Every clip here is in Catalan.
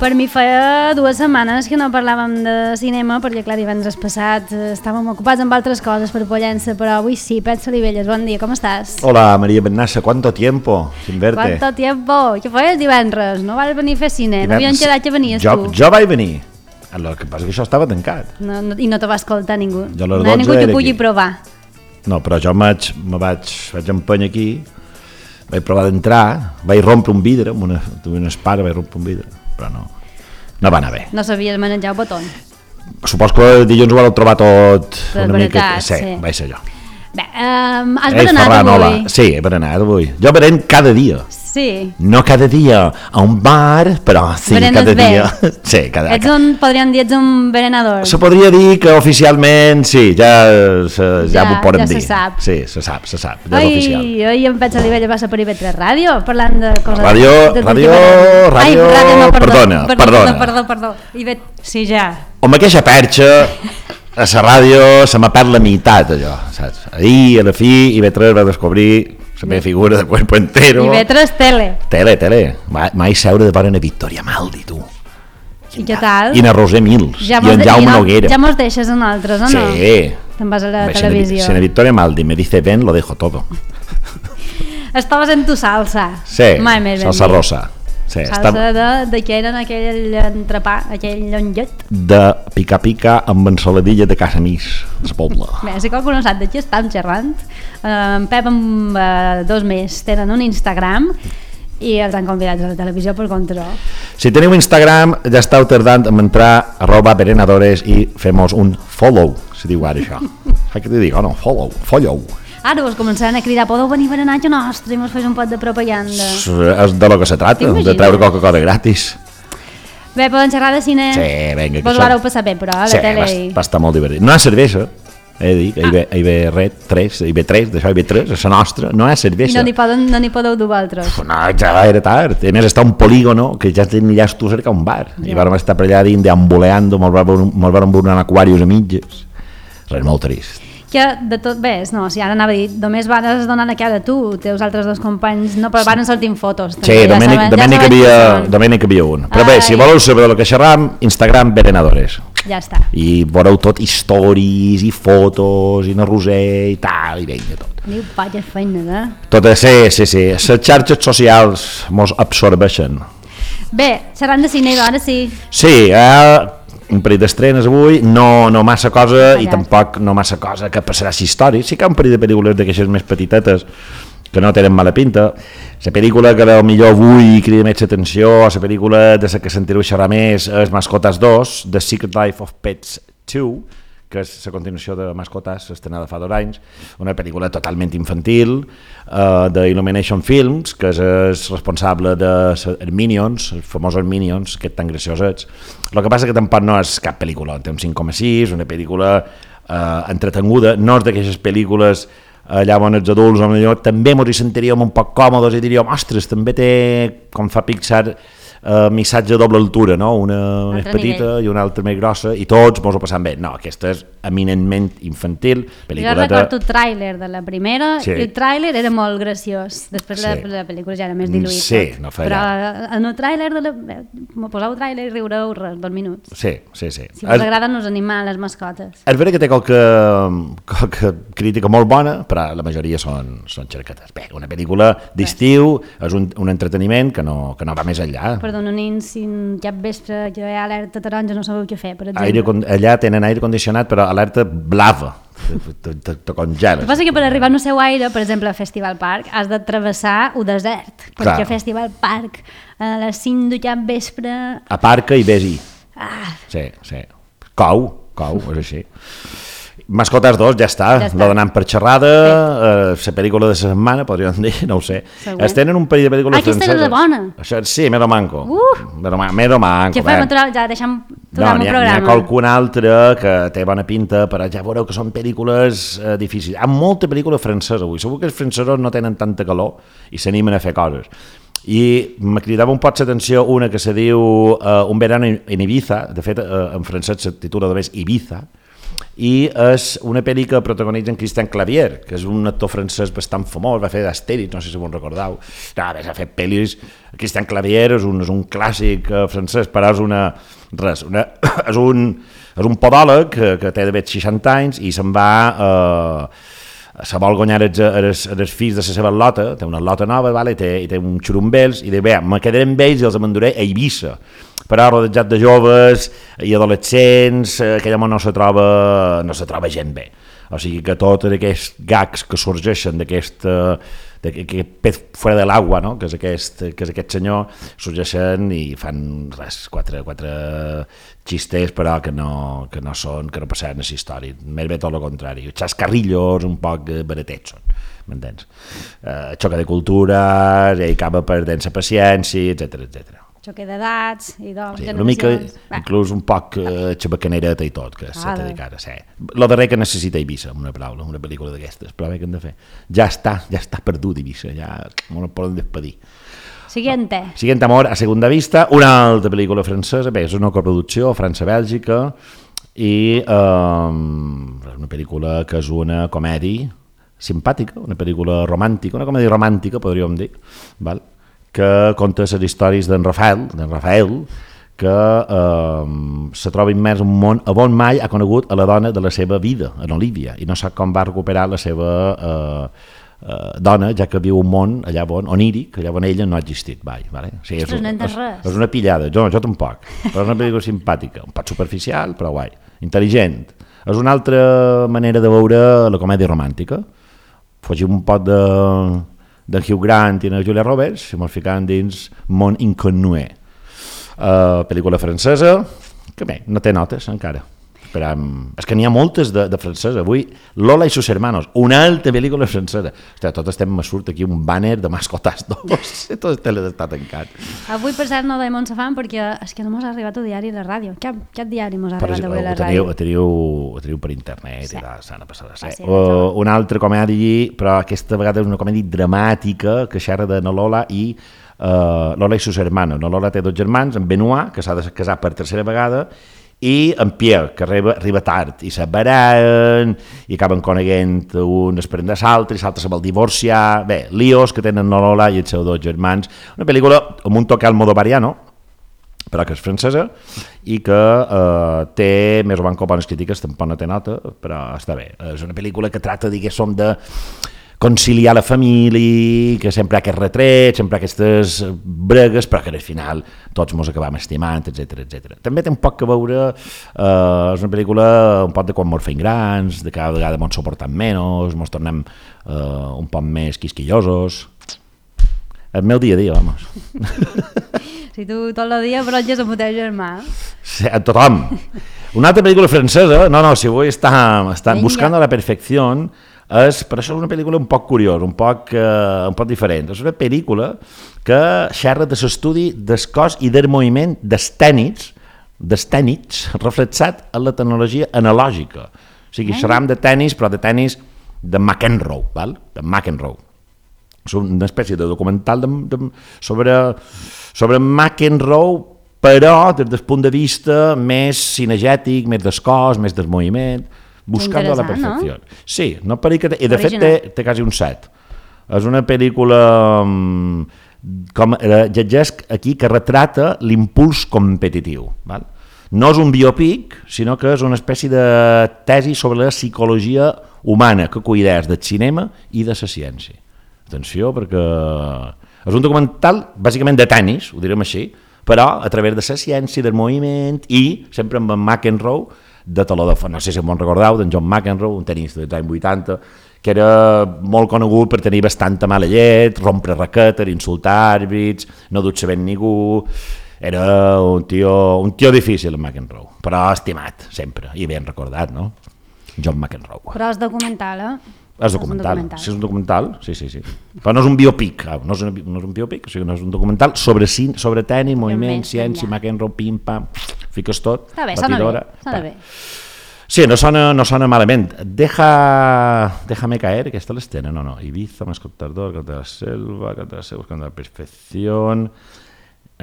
Per mi feia 2 setmanes que no parlàvem de cinema, perquè clar, divendres passat estàvem ocupats amb altres coses per Pollença, però avui sí. Pet Solivelles, bon dia, com estàs? Hola, María Bernassa, ¿cuánto tiempo sin verte? ¿Cuánto tiempo? Què feies divendres? No vas venir a fer cine? No havíem quedat que venies tu? Jo vaig venir, el que passa que això estava tancat. I no te va escoltar ningú. Jo a les 12 no hi ha ningú que era pugui aquí. provar. No, però jo vaig empènyer aquí, vaig provar d'entrar, vaig rompre un vidre, amb una espara vaig rompre un vidre, però no va anar bé. No sabies manejar el botó. Supos que dilluns ho vau trobar tot de una veritat, mica... Sí, vaig ser jo. Bé, has berenat Ferran, avui? hola. Sí, he berenat avui. Jo berent cada dia. Sí. No cada dia a un bar, però sí, Berenes cada bé. dia. Sí, cada dia. Podríem dir, ets un berenador. Se podria dir que oficialment sí, ja ho podem dir. Ja se sap. Sí, se sap, ja és oficial. Oi, en Pet Solivella va ser per IB3 Ràdio, parlant de coses... Ràdio, Perdó. Sí, ja. Amb aquesta perxa, a la ràdio se m'ha perd la meitat, allò, saps? Ahir, a la fi, IB3 va descobrir la meva figura de cuerpo entero. IB3 Tele. Tele. Mai seure de veure a Victoria Maldi, tu. I què tal? I a Roser Mills, i en Jaume Noguera. Ja mos deixes a nosaltres, o no? Sí. Te'n vas a la televisió. Si a Victoria Maldi me dice ven, lo dejo todo. Estaves en tu salsa. Sí, Mai més salsa rosa. Sí, salsa de què era aquell entrepà, aquell llonget? De pica-pica amb ensaladilla de casa mis, del poble. Bé, si qualcú no sap de qui estem xerrant, en Pep amb 2 més tenen un Instagram i els han convidat a la televisió per control. Si teniu Instagram, ja esteu tardant en entrar @berenadores i fem-nos un follow, si diu ara això. Saps què t'hi dic? No, follow. Ara vos començaran a cridar, podeu venir a berenar a nostre i mos fes un pot de propaganda. És de lo que se trata, de treure Coca-Cola gratis. Bé, poden xerrar de cine? Sí, vinga. Vos ho vareu passar bé, però a la tele... Sí, va estar molt divertit. No hi ha cervesa, he de dir, que IB3, d'això IB3, és la nostra, no hi ha cervesa. I no n'hi podeu dur altres. No, ja era tard. A més, està un polígono que ja tenies tu cerca un bar. I vam estar per allà dins deambuleando, me'l vam veure en aquarius a mitges. Res, molt trist. Que de tot ves, no, si ara anava a dir, només vas donar la cara tu, teus altres 2 companys, no, però van sortint fotos. Sí, Domènec hi havia un. Però bé, si voleu saber del que xerram, Instagram Berenadores. Ja està. I veureu tot stories i fotos i una Roser i tal, i vinga tot. Diu, vaja feina, eh? Tot, sí. Les xarxes socials mos absorbeixen. Bé, xerrant de cine, ara sí. Sí, un parell d'estrenes avui, no massa cosa i tampoc no massa cosa que passarà a història. Sí que hi ha un parell de pel·lícules d'aquestes més petitetes que no tenen mala pinta. La pel·lícula que millor avui crida més atenció, la pel·lícula de la que sentireu xerrar més és Mascotas 2, The Secret Life of Pets 2, que és la continuació de Mascotas, estrenada fa 2 anys, una pel·lícula totalment infantil d'Illumination Films, que és responsable de Minions, els famosos Minions, que tan graciosets. El que passa que tampoc no és cap pel·lícula, té un 5,6, una pel·lícula entretenguda, no és d'aquestes pel·lícules allà on els adults també ens hi sentiríem un poc còmodes i diríem, ostres, també té, com fa Pixar, missatge a doble altura, no? Una més petita i una altra més grossa i tots ens ho passam bé. No, aquesta és eminentment infantil. Jo recordo el tràiler de la primera i el tràiler era molt graciós, després la pel·lícula ja era més diluït. Sí, no feia. Però en el tràiler, m'ho poseu el tràiler i riureu 2 minuts. Sí. Si us agraden els animals, les mascotes. És veritat que té qualque crítica molt bona, però la majoria són xercates. Bé, una pel·lícula d'estiu, és un entreteniment que no va més enllà. Perdona, nins, si cap vespre que hi ha alerta taronja no sabeu què fer, per exemple. Allà tenen aire condicionat, però alerta blava, te congeles. El que passa que per arribar al seu aire, per exemple a Festival Park, has de travessar un desert, perquè a Festival Park a les 5 de cap vespre... Aparca i vés-hi. Sí. Cou, és així. Mascotas 2, ja està. La donant per xerrada, la pel·lícula de la setmana, podríem dir, no ho sé. Es tenen un parell de pel·lícules franceses. Aquesta era bona. Sí, Mero Manco. Mero Manco. Què fem? Ja deixem aturar el programa. N'hi ha qualcuna altra que té bona pinta, però ja veureu que són pel·lícules difícils. Hi ha molta pel·lícula francesa avui. Segur que els francesos no tenen tanta calor i s'animen a fer coses. I me cridava un poc l'atenció una que se diu Un verano en Ibiza, de fet en francès se titula només Ibiza, i és una pel·li que protagonitza en Christian Clavier, que és un actor francès bastant famós, va fer d'Astèrix, no sé si vos recordeu. Ha fet pel·lis... Christian Clavier és un clàssic francès, però és és un podòleg que té d'haver 60 anys i se'n va... se vol guanyar els fills de la seva lota, té una lota nova, vale? I té un xurumbels, i diu, bé, me quedaré amb ells i els m'enduré a Eivissa, però rodejat de joves i adolescents, aquell home no se troba gent bé. O sigui que tots aquests gags que sorgeixen d'aquest pez fora de l'aigua, no? que és aquest senyor, sorgeixen i fan quatre xistes, però que no passaran a la història. Més bé tot el contrari. Xascarrillos un poc baratets són, m'entens? Xoca de cultures, i acaba perdent la paciència, etc. Xoque d'edats i doncs... Sí, una mica, inclús un poc xabacanereta i tot, que s'ha de dedicar a ser. Lo darrer que necessita Eivissa, una paraula, una pel·lícula d'aquestes, però bé que hem de fer. Ja està perdut Eivissa, ja no ens poden despedir. Siguiente amor a segunda vista, una altra pel·lícula francesa, bé, és una coproducció França-Bèlgica i és una pel·lícula que és una comèdia simpàtica, una pel·lícula romàntica, una comèdia romàntica, podríem dir, val? Que conta les històries d'en Rafael, que se troba immers en un món on mai ha conegut a la dona de la seva vida, en Olivia, i no sap com va recuperar la seva dona, ja que viu un món allà oníric, allà on ella no ha existit mai. Vale? O sigui, és una pillada, jo tampoc, però és una pel·lícula simpàtica, un poc superficial, però guai, intel·ligent. És una altra manera de veure la comèdia romàntica. Fugim un poc de Hugh Grant i de Julia Roberts, i ens ficàvem dins Món Inconnué. Pel·lícula francesa, que bé, no té notes encara. És que n'hi ha moltes de francesa. Avui, Lola i sus hermanos, una altra pel·lícula francesa. Hòstia, tot estem, me surt aquí un banner de Mascotas 2, tot el tele està tancat. Avui, per cert, no deim on se fan, perquè és que no mos ha arribat el diari de la ràdio. Cap diari mos ha arribat avui a la ràdio? Ho teniu per internet, i s'han de passar a ser. Una altra comèdia, però aquesta vegada és una comèdia dramàtica que xerra de na Lola i Lola i sus hermanos. Na Lola té 2 germans, en Benoit, que s'ha de casar per tercera vegada, i en Pierre, que arriba tard, i s'abararen, i acaben coneguent un després de l'altre, i l'altre se vol divorciar, bé, líos que tenen la Lola i els seus 2 germans. Una pel·lícula amb un toque almodovariano, però que és francesa, i que té més o menys bones crítiques, tampoc no té nota, però està bé. És una pel·lícula que tracta, diguéssim, de conciliar la família, que sempre hi ha aquest retret, sempre hi ha aquestes bregues, però que al final tots ens acabem estimant, etc. També té un poc que veure, és una pel·lícula un poc de quan ens fem grans, de cada vegada ens suportem menys, ens tornem un poc més quisquillosos. El meu dia a dia, vamos. Si tu tot el dia bronges amb el teu germà. Sí, a tothom. Una altra pel·lícula francesa, si avui estan buscant la perfecció, per això és una pel·lícula un poc curiosa, un poc diferent. És una pel·lícula que xerra de l'estudi del cos i del moviment dels tècnics reflexat en la tecnologia analògica. O sigui, xerram de tenis, però de tenis de McEnroe, val? De McEnroe. És una espècie de documental sobre McEnroe, però des del punt de vista més cinegètic, més del cos, més del moviment, buscant la perfecció. No? Sí, no i de fet té quasi un 7. És una pel·lícula com llegesc aquí que retrata l'impuls competitiu. Val? No és un biòpic, sinó que és una espècie de tesi sobre la psicologia humana que cuidés del cinema i de la ciència. Atenció, perquè és un documental bàsicament de tenis, ho direm així, però a través de la ciència, del moviment i sempre amb en McEnroe, de taló de fons, no sé si m'ho recordeu, d'en John McEnroe, un tenista dels anys 80, que era molt conegut per tenir bastanta mala llet, rompre raquetes, insultar àrbits, no dut sabent ningú. Era un tio difícil, en McEnroe, però estimat, sempre, i ben recordat, no? John McEnroe. Però és documental, És documental, sí, és un documental, sí. Però no és un biòpic, no és un biòpic, o sigui, no és un documental sobre tenis, moviment, ciència, McEnroe, pim-pam, fiques tot. Està bé, sona bé. Sí, no sona malament. Déjame caer, aquesta l'escena, no. Ibiza, Mascotador, Canta de la Selva, buscando la perfección.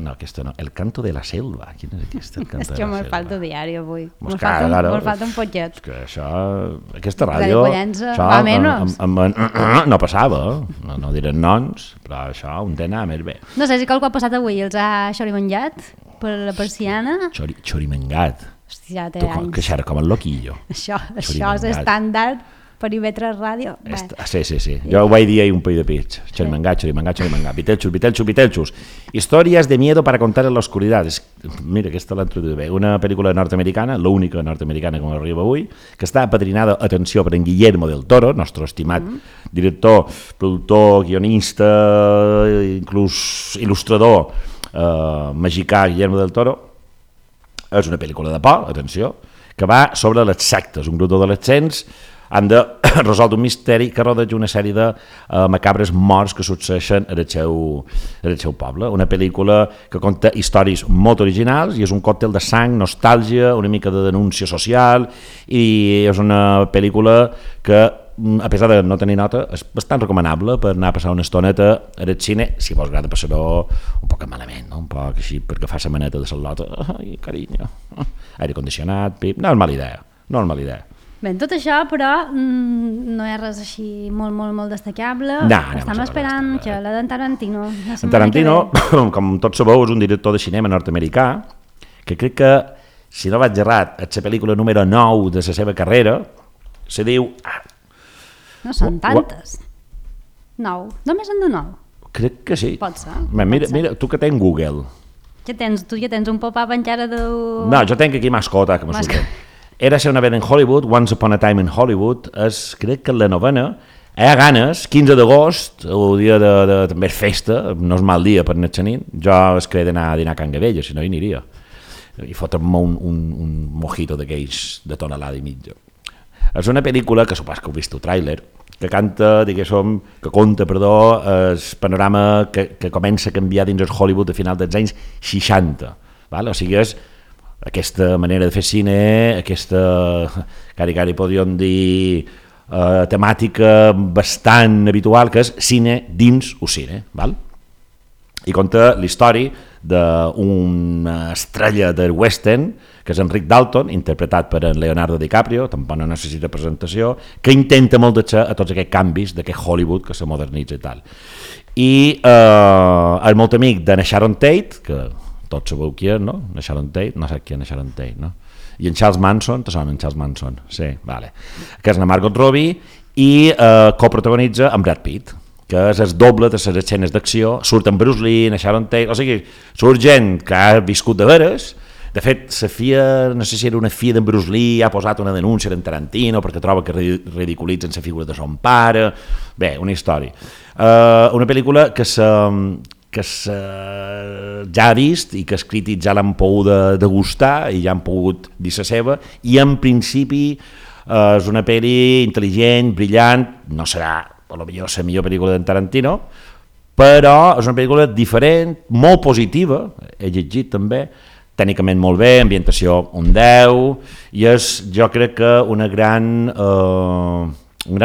No, aquesta no. El canto de la selva. Quin és aquest? El canto És que me'n falta diari avui. Me'n falta un potxet. És que això, aquesta ràdio... Això, va menys. No passava, no direm noms, però això un té anar més bé. No sé si qualcú ha passat avui els ha xorimangat per la persiana. Xorimangat. Hòstia, té anys. Que xerra com el loquillo. Això és estàndard. Perímetre ràdio. Sí. Jo ho vaig dir ahir un país de pits. Xorimangat. Vitelxos. Històries de miedo para contar en la oscuridad. Mira, aquesta l'ha introduït bé. Una pel·lícula nord-americana, l'única nord-americana que m'arriba avui, que està apadrinada, atenció, per en Guillermo del Toro, nostre estimat director, productor, guionista, inclús il·lustrador mexicà Guillermo del Toro. És una pel·lícula de por, atenció, que va sobre les sectes, un grup d'adolescents han de resoldre un misteri que rodeja una sèrie de macabres morts que succeeixen en el seu poble. Una pel·lícula que conta històries molt originals i és un còctel de sang, nostàlgia, una mica de denúncia social, i és una pel·lícula que, a pesar de no tenir nota, és bastant recomanable per anar a passar una estoneta al cine, si vols agrada passar-ho un poc malament, no? Un poc així, perquè fa la maneta de salota, ai, carinyo, aire condicionat, pip, no és mala idea. Bé, tot això, però, no és res així molt destacable. Estem esperant que la d'en Tarantino... En Tarantino, com tots sabeu, és un director de cinema nord-americà que crec que, si no vaig errat, és la pel·lícula número 9 de la seva carrera, se diu... No són tantes. 9. Només en de 9. Crec que sí. Pot ser. Mira, tu que tens Google. Tu ja tens un pop-up encara de... No, jo tenc aquí mascota, que m'assusta. Érase una vegada en Hollywood, Once Upon a Time in Hollywood, crec que la novena, a ganes, 15 d'agost, el dia de també és festa, no és mal dia per anar a nit, jo es crec d'anar a dinar a Can Gavella, si no hi aniria, i fotre'm un mojito d'aquells de tonelada i mitja. És una pel·lícula, que supos que heu vist el tràiler, que conta el panorama que comença a canviar dins el Hollywood a final dels anys 60, val? O sigui, és aquesta manera de fer cine, aquesta, cari podríem dir, temàtica bastant habitual, que és cine dins el cine, val? I conta la història d'una estrella del western, que és Enric Dalton, interpretat per en Leonardo DiCaprio, tampoc no necessita presentació, que intenta molt deixar a tots aquests canvis d'aquest Hollywood que se modernitza i tal. I és molt amic de Sharon Tate, que tots sabeu qui és, no? Sharon Tate, no sé qui és Sharon Tate, no? I en Charles Manson, te sona en Charles Manson? Sí, vale. Que és la Margot Robbie i coprotagonitza amb Brad Pitt, que és el doble de les escenes d'acció, surt en Bruce Lee, en Sharon Tate, o sigui, surt gent que ha viscut de veres. De fet, la FIA, no sé si era una FIA d'en Bruce Lee, ha posat una denúncia d'en Tarantino perquè troba que ridiculitzen la figura de son pare. Bé, una història. Una pel·lícula que ja ha vist i que els crítics ja l'han pogut degustar i ja han pogut dir la seva, i en principi és una pel·li intel·ligent, brillant, no serà potser la millor pel·lícula d'en Tarantino, però és una pel·lícula diferent, molt positiva, he llegit també, tècnicament molt bé, ambientació un 10, i és, jo crec que un gran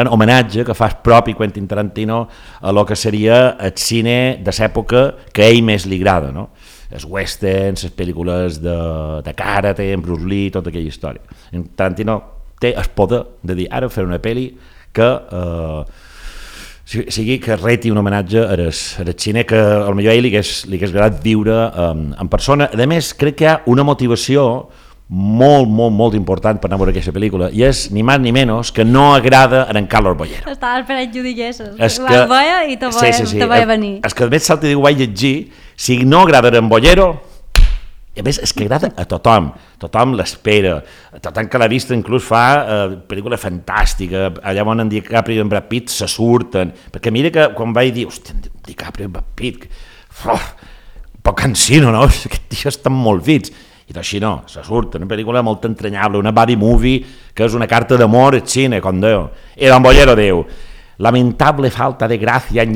homenatge que fa propi Quentin Tarantino a lo que seria el cine de l'època que a ell més li agrada, no? Els westerns, les pel·lícules de karate, en Bruce Lee, tota aquella història. Tarantino té el poder de dir, ara fer una pel·li que sigui que reti un homenatge al cine que potser a ell li hagués agradat viure en persona. A més, crec que hi ha una motivació molt important per anar a veure aquesta pel·lícula, i és ni més ni menys que no agrada a en Carlos Bollero. Estava esperant que ho diguessis. Ho veia i te veia venir. És que a més salta diu, ho vaig llegir, si no agrada a en Bollero, a més és que agrada a tothom l'espera, tothom que l'ha vist inclús fa pel·lícula fantàstica, allà on en DiCaprio i en Brad Pitt se surten, perquè mira que quan vaig dir, hòstia, en DiCaprio i en Brad Pitt, poc cansino, no? Aquest tio estan molt fits. I així no, se surt, una pel·lícula molt entranyable, una buddy movie que és una carta d'amor al cine, com Déu. I Don Bollero diu, lamentable falta de gracia,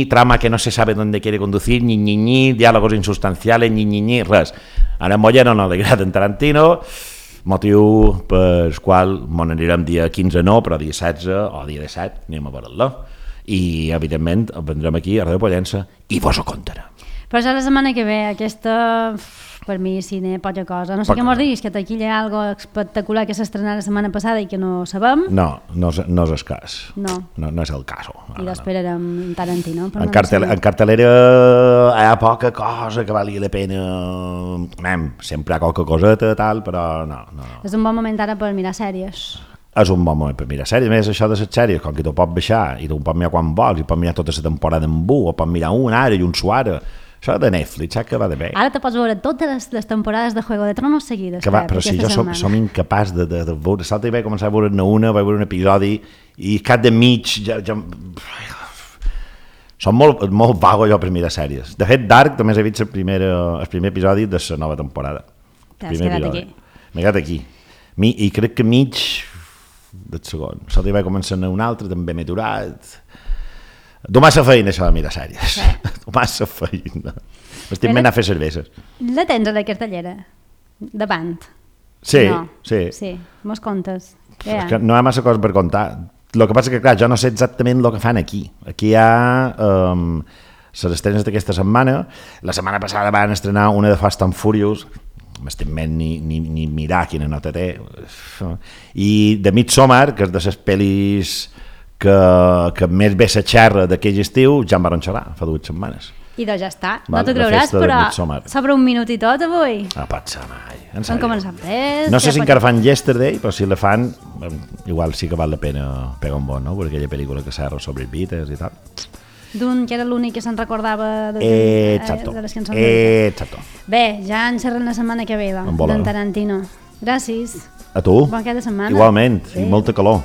trama que no se sabe dónde quiere conducir, diálogos insustanciales, res. A Don Bollero no li agrada en Tarantino, motiu per qual m'on anirem dia 15 no, però dia 16 o dia 17 anem a veure-la. I, evidentment, vendrem aquí a Ràdio Pollença i vos ho contarem. Però ja la setmana que ve, aquesta, per mi, cine, poca cosa. No sé què mos diguis, que aquí hi ha algo espectacular que s'estrenà la setmana passada i que no sabem. No és el cas. No és el cas. I l'esperarem Tarantino. En cartelera hi ha poca cosa que valia la pena. Sempre hi ha qualque coseta, tal, però no. És un bon moment ara per mirar sèries. És un bon moment per mirar sèries. A més, això de les sèries, com que tu pots baixar i tu pots mirar quan vols, i pots mirar tota la temporada en o pots mirar una ara i un suara. Això de Netflix, saps que va de bé. Ara te pots veure totes les temporades de Juego de Tronos seguides. Però si jo som incapaç de veure. L'altre vaig començar a veure-ne una, vaig veure un episodi i cap de mig ja... Som molt vago jo per mirar sèries. De fet, Dark només he vist el primer episodi de la nova temporada. T'has quedat aquí. M'he quedat aquí. I crec que mig del segon. L'altre vaig començar un altre, també m'he aturat. Du massa feina, això de mirar sèries. Du massa feina. M'estic anant a fer cerveses. La tens a la cartellera? Davant? Sí, no. sí. Mos contes. És que no hi ha massa coses per contar. El que passa que, clar, jo no sé exactament el que fan aquí. Aquí hi ha les estrenes d'aquesta setmana. La setmana passada van estrenar una de Fast and Furious, m'estic ni mirar quina nota té. I de Midsommar, que és de les pel·lis que més bé se xerra d'aquell estiu, ja en van xerrar fa 2 setmanes. I doncs ja està. No t'ho creuràs, però sobre un minut i tot avui. No pot ser mai. Han començat res. No sé si encara fan Yesterday, però si la fan, igual sí que val la pena pegar un bon, no? Per aquella pel·lícula que s'ha sobre els Beatles i tal. D'un que era l'únic que se'n recordava de les cançons. Exacto. Bé, ja en xerrem la setmana que ve, d'en Tarantino. Gràcies. A tu. Bon cap de setmana. Igualment, i molta calor.